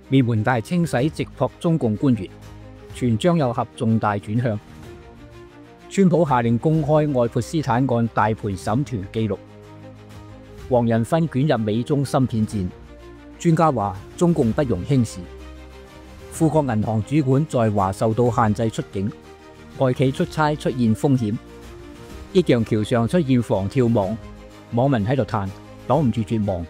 滅門大清洗直撲中共官員，傳張又俠重大轉向。川普下令公開愛潑斯坦案大盤審團記錄。黃仁勳捲入美中芯片戰，專家話中共不容輕視。富國銀行主管在華受到限制出境，外企出差出現風險。益陽橋上出現防跳網，網民喺度嘆擋唔住絕望。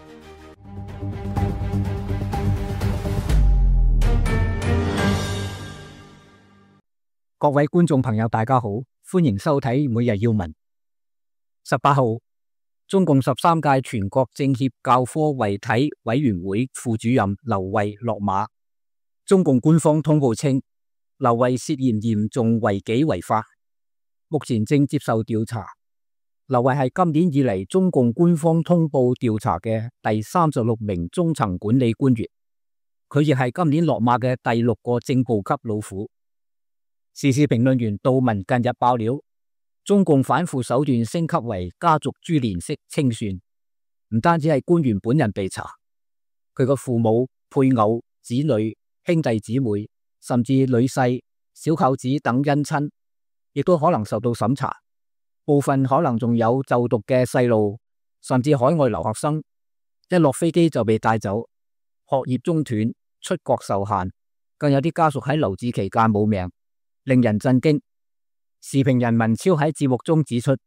各位觀眾朋友大家好，歡迎收睇每日要聞。18號，中共13屆全國政協教科遺體委員會副主任劉慧落馬。中共官方通報稱，劉慧涉嫌嚴重違紀違法，目前正接受調查。劉慧係今年以嚟中共官方通報調查嘅第36名中層管理官員，佢亦係今年落馬嘅第6個正部級老虎。時事評論員杜文近日爆料，中共反腐手段升級為家族株連式清算，唔單止係官員本人被查，佢個父母、配偶、子女、兄弟姊妹，甚至女婿、小舅子等姻親，亦都可能受到審查。部分可能仲有就讀嘅細路，甚至海外留學生，一落飛機就被帶走，學業中斷，出國受限，更有啲家屬喺留置期間冇命，令人震驚。時評人文超喺節目中指出，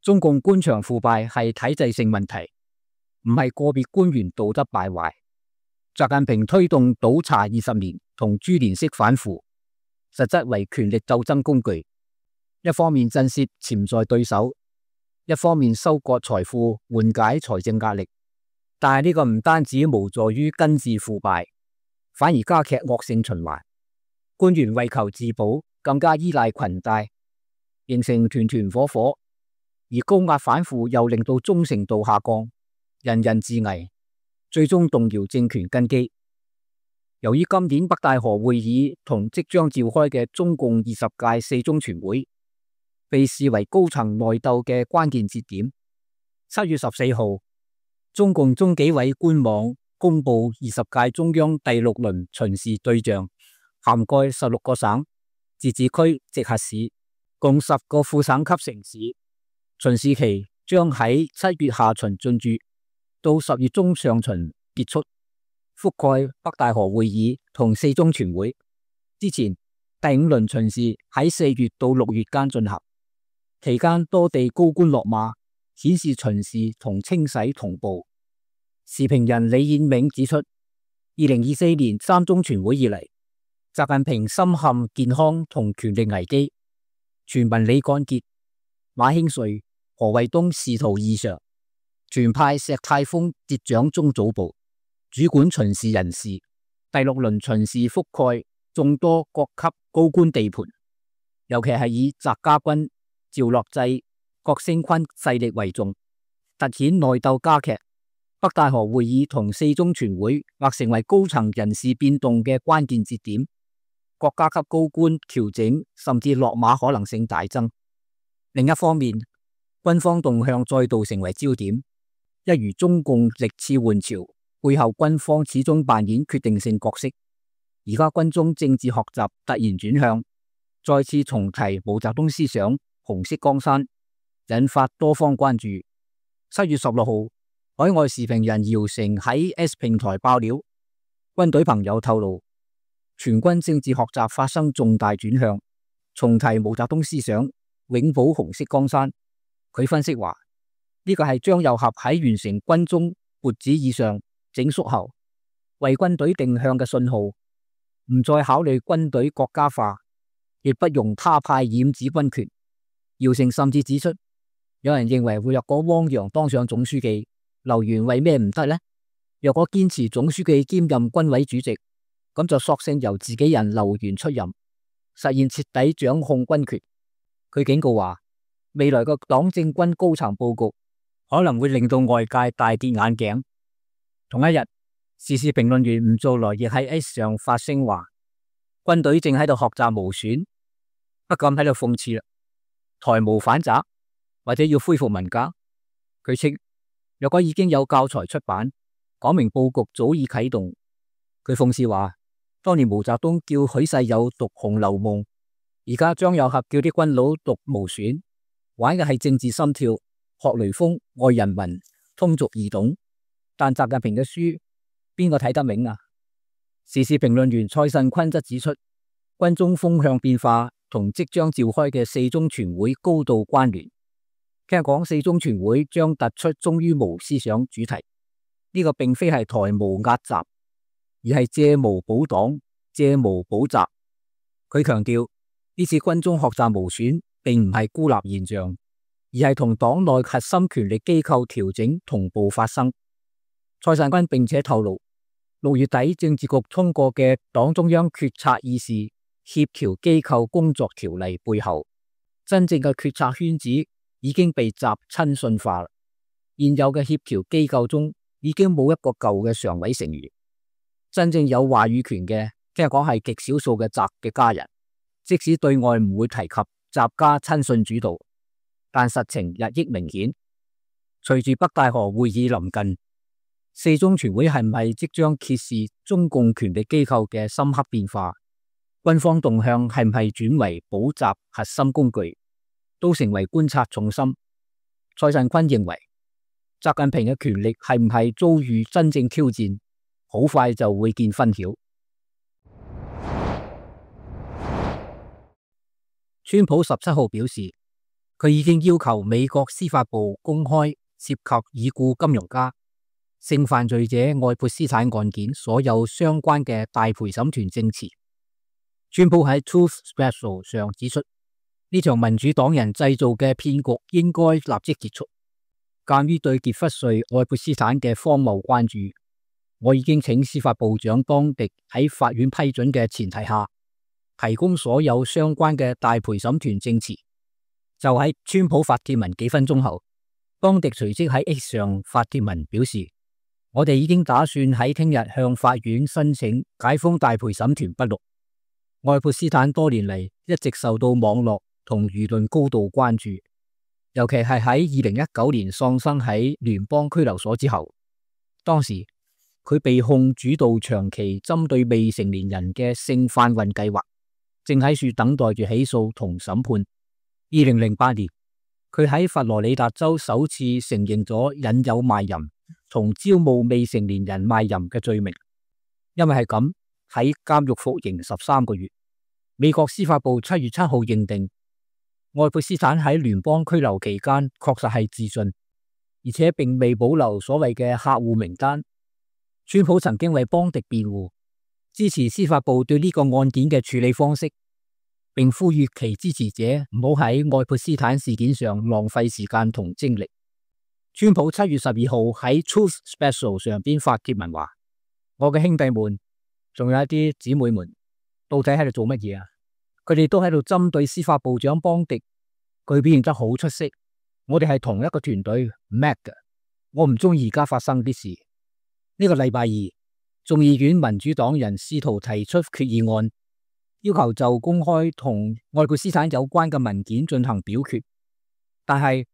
中共官場腐敗係體制性問題，唔係個別官員道德敗壞。習近平推動倒查20年同株連式反腐，實質為權力鬥爭工具，一方面震懾潛在對手，一方面收割財富，緩解財政壓力。但係呢個唔單止無助於根治腐敗，反而加劇惡性循環。官員為求自保，更加依賴裙帶，形成團團伙伙，而高壓反腐又令到忠誠度下降，人人自危，最終動搖政權根基。由於今年北戴河會議同即將召開嘅中共20屆四中全會被視為高層內鬥嘅關鍵節點，7月14號，中共中紀委官網公布20屆中央第6輪巡視對象，涵蓋16個省、自治區、直轄市，共10個副省級城市。巡視期將喺7月下旬進駐，到10月中上旬結束，覆蓋北戴河會議同四中全會。之前第5輪巡視喺4月到6月間進行，期間多地高官落馬，顯示巡視同清洗同步。時評人李彥銘指出，2024年3中全會以嚟，習近平深陷健康同權力危機，傳聞李幹傑、馬興瑞、何衛東仕途異常，全派石泰峰接掌中組部，主管巡視人事。第6輪巡視覆蓋眾多各級高官地盤，尤其係以翟家軍、趙樂際、郭聲琨勢力為重，凸顯內鬥加劇。北戴河會議同四中全會或成為高層人事變動嘅關鍵節點，國家級高官調整甚至落馬可能性大增。另一方面，軍方動向再度成為焦點，一如中共歷次換朝，背後軍方始終扮演決定性角色。而家軍中政治學習突然轉向，再次重提毛澤東思想，紅色江山，引發多方關注。7月16號，海外時評人姚成喺 S 平台爆料，軍隊朋友透露，全軍政治學習發生重大轉向，重提毛澤東思想，永保紅色江山。佢分析話，呢個係張又俠喺完成軍中撥子以上整肅後，為軍隊定向嘅信號，唔再考慮軍隊國家化，亦不容他派染指軍權。姚成甚至指出，有人認為若果汪洋當上總書記，劉源為咩唔得呢？若果堅持總書記兼任軍委主席，咁就索性由自己人劉源出任，實現徹底掌控軍權。佢警告話，未來嘅黨政軍高層佈局可能會令到外界大跌眼鏡。同一日，時事評論員吳造來亦喺 X 上發聲話，軍隊正喺度學習毛選，不禁喺度諷刺啦，台無反習或者要恢復文革。佢稱，若果已經有教材出版，講明佈局早已啟動，佢諷刺話，當年毛澤東叫許世友讀《紅樓夢》，而家張又俠叫啲軍佬讀《毛選》，玩嘅係政治心跳，學雷鋒，愛人民，通俗易懂。但習近平嘅書邊個睇得明啊？時事評論員蔡慎坤則指出，軍中風向變化同即將召開嘅四中全會高度關聯。聽講四中全會將突出忠於毛思想主題，呢個並非係台毛壓習，而係借毛保黨、借毛保習。佢強調呢次軍中學習毛選並唔係孤立現象，而係同黨內核心權力機構調整同步發生。蔡慎坤並且透露，6月底政治局通過嘅黨中央決策議事協調機構工作條例背後，真正嘅決策圈子已經被習親信化。現有嘅協調機構中已經冇一個舊嘅常委成員，真正有話語權嘅，聽講係極少數嘅習嘅家人。即使對外唔會提及習家親信主導，但實情日益明顯。隨住北戴河會議臨近，四中全會係唔係即將揭示中共權力機構嘅深刻變化？軍方動向係唔係轉為保習核心工具，都成為觀察重心。蔡慎坤認為，習近平嘅權力係唔係遭遇真正挑戰，好快就會見分曉。川普17號表示，佢已經要求美國司法部公開涉及已故金融家、性犯罪者愛潑斯坦案件所有相關嘅大陪審團證詞。川普喺 Truth Special 上指出，呢場民主黨人製造嘅騙局應該立即結束。鑒於對傑弗瑞愛潑斯坦嘅荒謬關注，我已經請司法部長當迪喺法院批准嘅前提下，提供所有相關嘅大陪審團證詞。就喺川普發帖文幾分鐘後，當迪隨即喺 X 上發帖文表示，我哋已經打算喺聽日向法院申請解封大陪審團筆錄。愛潑斯坦多年嚟一直受到網絡同輿論高度關注，尤其係喺2019年喪生喺聯邦拘留所之後。當時佢被控主導長期針對未成年人嘅性販運計劃，正喺處等待住起訴同審判。2008年，佢喺佛羅里達州首次承認咗引誘賣淫同招募未成年人賣淫嘅罪名，因為係咁喺監獄服刑13個月。美國司法部7月7號認定，愛潑斯坦喺聯邦拘留期間確實係自盡，而且並未保留所謂嘅客戶名單。川普曾經為邦迪辯護，支持司法部對呢個案件嘅處理方式，並呼籲其支持者唔好喺愛潑斯坦事件上浪費時間同精力。川普7月12號喺 Truth Special 上邊發帖文話：我嘅兄弟們，仲有一啲姊妹們，到底喺度做乜嘢啊？佢哋都喺度針對司法部長邦迪，佢表現得好出色。我哋係同一個團隊 ，Mac 嘅。我唔中意而家發生啲事。呢個禮拜二，眾議院民主黨人試圖提出決議案，要求就公開同愛潑斯坦有關嘅文件進行表決，但係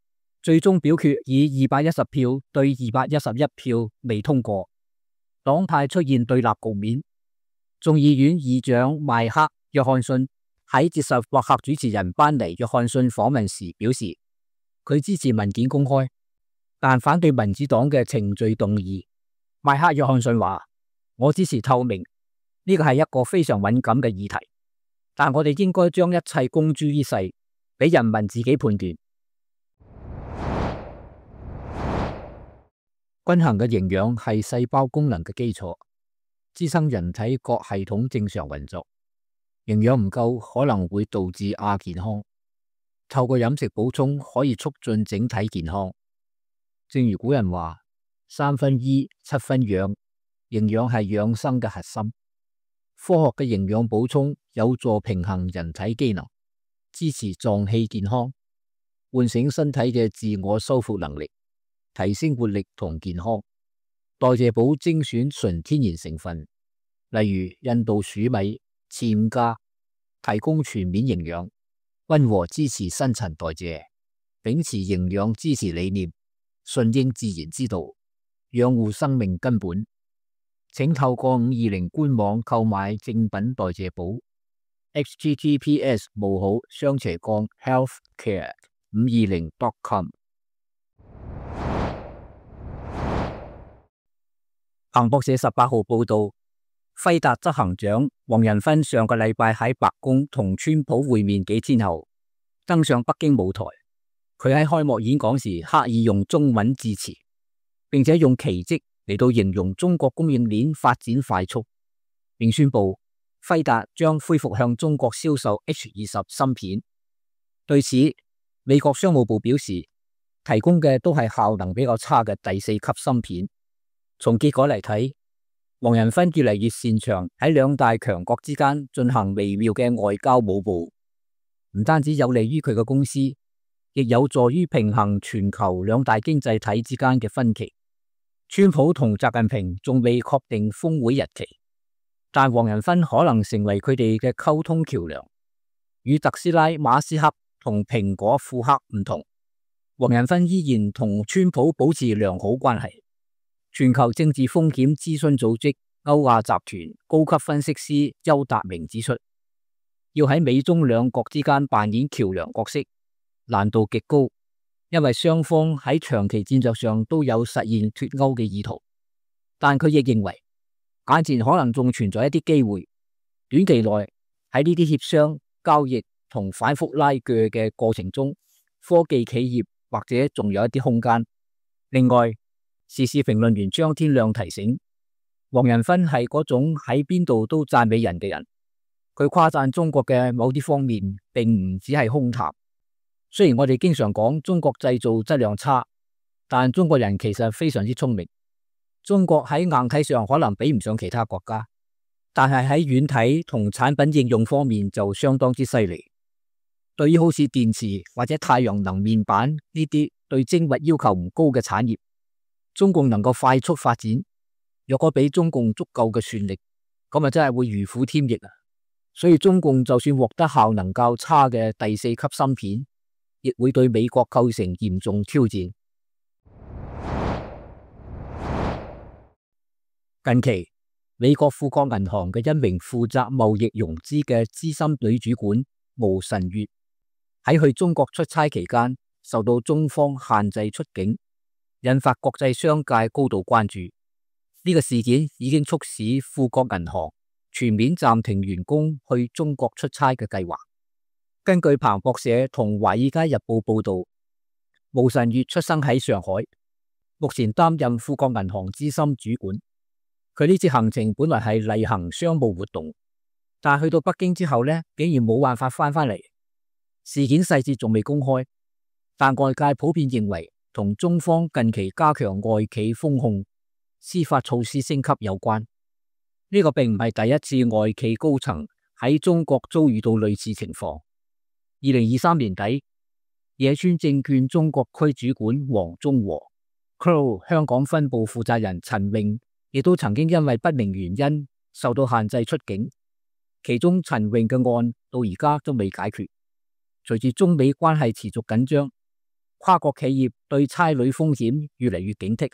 最終表決以210票對211票未通過，黨派出現對立局面。眾議院議長邁克約翰遜喺接受博客主持人班尼約翰遜訪問時表示，佢支持文件公開，但反對民主黨嘅程序動議。邁克約翰遜話：我支持透明，呢個係一個非常敏感嘅議題，但我哋應該將一切公諸於世，俾人民自己判斷。均衡嘅營養係細胞功能嘅基礎，支撐人體各系統正常運作。營養唔夠可能會導致亞健康，透過飲食補充可以促進整體健康。正如古人話：3分醫，7分養，營養係養生嘅核心。科學嘅營養補充有助平衡人體機能，支持臟器健康，喚醒身體嘅自我修復能力，提升活力同健康。代謝補精選純天然成分，例如印度薯米、暹加，提供全面營養，溫和支持新陳代謝，秉持營養支持理念，順應自然之道，養護生命根本。請透過520官網購買正品代謝寶 https://healthcare520.com。彭博社18號報道，輝達執行長黃仁勳上個禮拜喺白宮同川普會面幾天後，登上北京舞台。佢喺開幕演講時刻意用中文致辭，並且用奇蹟嚟到形容中國供應鏈發展快速，並宣布輝達將恢復向中國銷售 H20 芯片。對此，美國商務部表示，提供嘅都係效能比較差嘅第4級芯片。從結果嚟睇，黃仁勳越嚟越擅長喺兩大強國之間進行微妙嘅外交舞步，唔單止有利於佢嘅公司，亦有助於平衡全球兩大經濟體之間嘅分歧。川普同習近平仲未確定峰會日期，但黃仁勳可能成為佢哋嘅溝通橋樑。與特斯拉馬斯克同蘋果庫克唔同，黃仁勳依然同川普保持良好關係。全球政治風險諮詢組織歐亞集團高級分析師邱達明指出，要喺美中兩國之間扮演橋樑角色，難度極高，因為雙方喺長期戰略上都有實現脫鈎嘅意圖。但佢亦認為，眼前可能仲存在一啲機會，短期內喺呢啲協商、交易同反覆拉鋸嘅過程中，科技企業或者仲有一啲空間。另外，時事評論員張天亮提醒，黃仁勳係嗰種喺邊度都讚美人嘅人。佢誇讚中國嘅某啲方面，並唔只係空談。雖然我哋經常講中國製造質量差，但中國人其實非常之聰明。中國喺硬體上可能比唔上其他國家，但係喺軟體同產品應用方面就相當之犀利。對於好似電池或者太陽能面板呢啲對精密要求唔高嘅產業，中共能夠快速發展，若果俾中共足夠嘅算力，咁啊真係會如虎添翼啊！所以中共就算獲得效能較差嘅第4級芯片，亦會對美國構成嚴重挑戰。近期，美國富國銀行嘅一名負責貿易融資嘅資深女主管毛晨月喺去中國出差期間，受到中方限制出境，引發國際商界高度關注。呢個事件已經促使富國銀行全面暫停員工去中國出差嘅計劃。根據彭博社同華爾街日報報道，毛晨月出生喺上海，目前擔任富國銀行資深主管。佢呢次行程本來係例行商務活動，但去到北京之後呢，竟然冇辦法翻嚟。事件細節仲未公開，但外界普遍認為同中方近期加強外企風控、司法措施升級有關。呢個並唔係第一次外企高層喺中國遭遇到類似情況。2023年底，野村證券中國區主管黃中和、Crow 香港分部負責人陳穎亦都曾經因為不明原因受到限制出境。其中陳穎嘅案到而家都未解決。隨住中美關係持續緊張，跨國企業對差旅風險越嚟越警惕，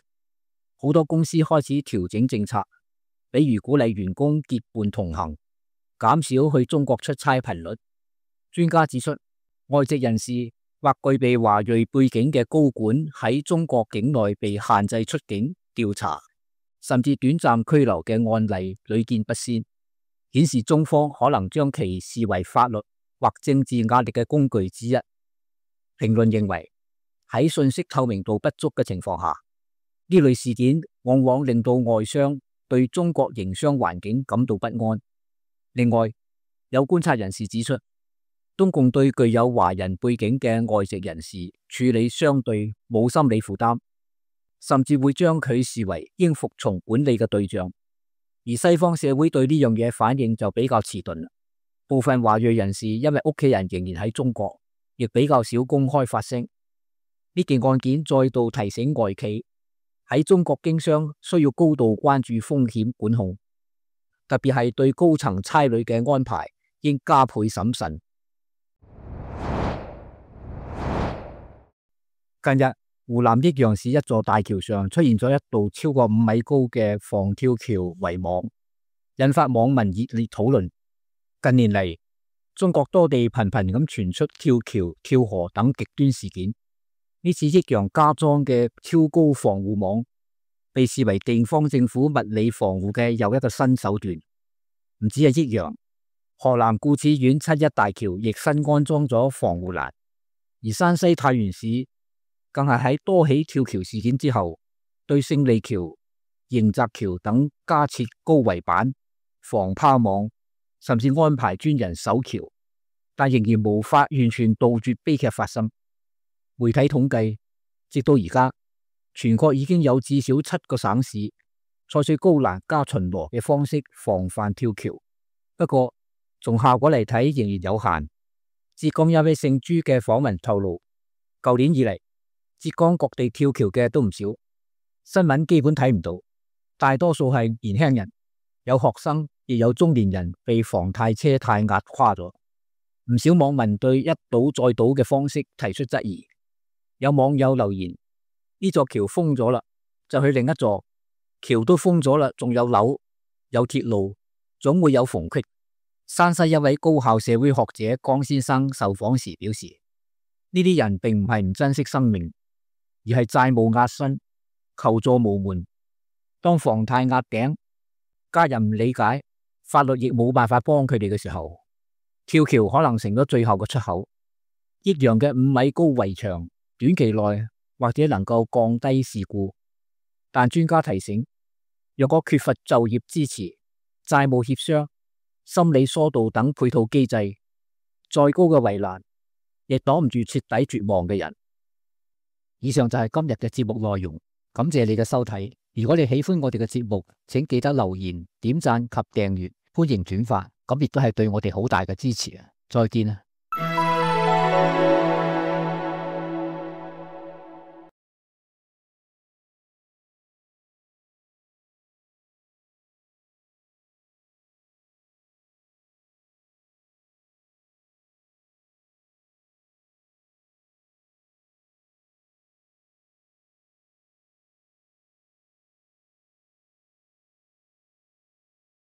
好多公司開始調整政策，比如鼓勵員工結伴同行，減少去中國出差頻率。專家指出，外籍人士或具備華裔背景嘅高管喺中國境內被限制出境調查，甚至短暫拘留嘅案例屢見不鮮，顯示中方可能將其視為法律或政治壓力嘅工具之一。評論認為，喺信息透明度不足嘅情況下，呢類事件往往令到外商對中國營商環境感到不安。另外，有觀察人士指出，中共對具有華人背景嘅外籍人士處理相對冇心理負擔，甚至會將佢視為應服從管理嘅對象。而西方社會對呢樣嘢反應就比較遲鈍。部分華裔人士因為屋企人仍然喺中國，亦比較少公開發聲。呢件案件再度提醒外企喺中國經商需要高度關注風險管控，特別係對高層差旅嘅安排應加倍審慎。近日，湖南益陽市一座大橋上出現咗一道超過5米高嘅防跳橋圍網，引發網民熱烈討論。近年嚟，中國多地頻頻咁傳出跳橋、跳河等極端事件。呢次益陽加裝嘅超高防護網，被視為地方政府物理防護嘅又一個新手段。唔止係益陽，河南固始縣七一大橋亦新安裝咗防護欄，而山西太原市更係喺多起跳橋事件之後，對勝利橋、迎澤橋等加設高圍板、防拋網，甚至安排專人守橋，但仍然無法完全杜絕悲劇發生。媒體統計，直到而家，全國已經有至少7個省市採取高欄加巡邏嘅方式防範跳橋。不過，從效果嚟睇仍然有限。浙江一位姓朱嘅訪問透露，舊年以嚟，浙江各地跳橋嘅都唔少，新聞基本睇唔到，大多數係年輕人，有學生，亦有中年人被房貸車貸壓垮咗。唔少網民對一倒再倒嘅方式提出質疑。有網友留言：呢座橋封咗啦，就去另一座；橋都封咗啦，仲有樓、有鐵路，總會有縫隙。山西一位高校社會學者江先生受訪時表示：呢啲人並唔係唔珍惜生命，而係債務壓身，求助無門。當房貸壓頂，家人唔理解，法律亦冇辦法幫佢哋嘅時候，跳橋可能成咗最後嘅出口。益陽嘅5米高圍牆，短期內或者能夠降低事故，但專家提醒，若果缺乏就業支持、債務協商、心理疏導等配套機制，再高嘅圍欄亦擋唔住徹底絕望嘅人。以上就係今日嘅節目內容，感謝你嘅收睇。如果你喜歡我哋嘅節目，請記得留言、點讚及訂閱，歡迎轉發，咁亦都係對我哋好大嘅支持啊！再見啊！